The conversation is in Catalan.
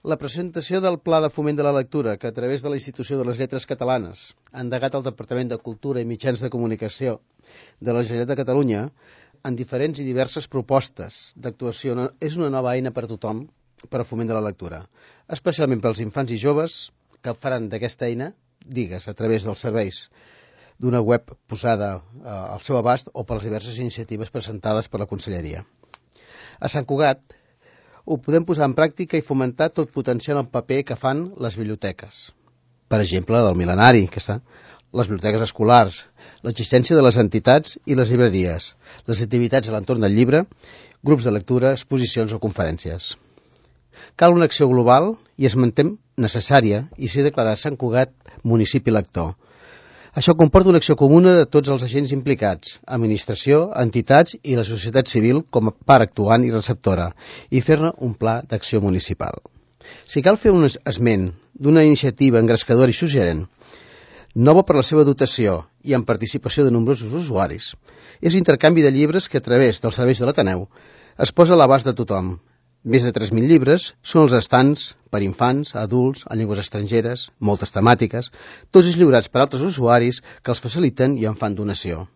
La presentació del Pla de Foment de la Lectura, que a través de la Institució de les Lletres Catalanes ha endegat el Departament de Cultura i Mitjans de Comunicació de la Generalitat de Catalunya en diferents i diverses propostes d'actuació, és una nova eina per a tothom per a foment de la lectura, especialment pels infants i joves que faran d'aquesta eina, digues, a través dels serveis d'una web posada al seu abast o per les diverses iniciatives presentades per la Conselleria. A Sant Cugat ho podem posar en pràctica i fomentar tot potenciant el paper que fan les biblioteques. Per exemple, la del mil·lenari, que està, les biblioteques escolars, l'existència de les entitats i les llibreries, les activitats a l'entorn del llibre, grups de lectura, exposicions o conferències. Cal una acció global i es manté necessària i s'ha declarat Sant Cugat municipi lector. Això comporta una acció comuna de tots els agents implicats, administració, entitats i la societat civil com a part actuant i receptora, i fer-ne un pla d'acció municipal. Si cal fer un esment d'una iniciativa engrescadora i suggerent, nova per la seva dotació i amb participació de nombrosos usuaris, és l'intercanvi de llibres que a través dels serveis de l'Ateneu es posa a l'abast de tothom. Més de 3.000 llibres són els estants per infants, adults, en llengües estrangeres, moltes temàtiques, tots ells lliurats per altres usuaris que els faciliten i en fan donació.